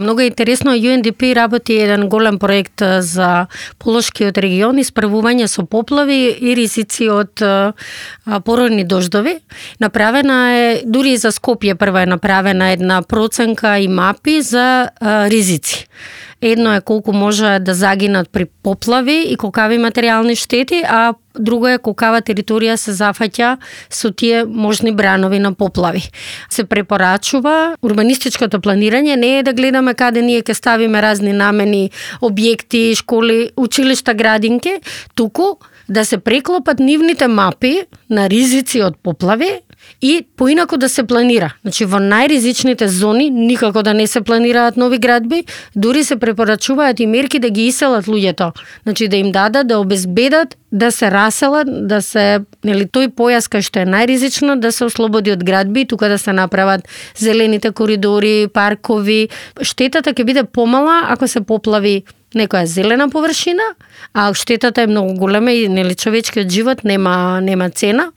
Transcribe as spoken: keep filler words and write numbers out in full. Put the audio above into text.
Многу интересно, Ю Ен Ди Пи работи еден голем проект за Полошкиот регион, исправување со поплави и ризици од породни дождови. Направена е, дури и за Скопје прва е направена една проценка и мапи за а, ризици. Едно е колку може да загинат при поплави и колкави материјални штети, а друго е колкава територија се зафаќа со тие можни бранови на поплави. Се препорачува урбанистичкото планирање не е да гледаме каде ние ќе ставиме разни намени, објекти, школи, училишта, градинки, туку да се преклопат нивните мапи на ризици од поплави и поинаку да се планира. Значи во најризичните зони никако да не се планираат нови градби, дури се препорачуваат и мерки да ги иселат луѓето. Значи да им дадат, да обезбедат да се раселат, да се, нели, тој појас кај што е најризично да се ослободи од градби, тука да се направат зелените коридори, паркови. Штетата ќе биде помала ако се поплави некоја зелена површина, а штетата е многу голема и, нели, човечкиот живот нема нема цена.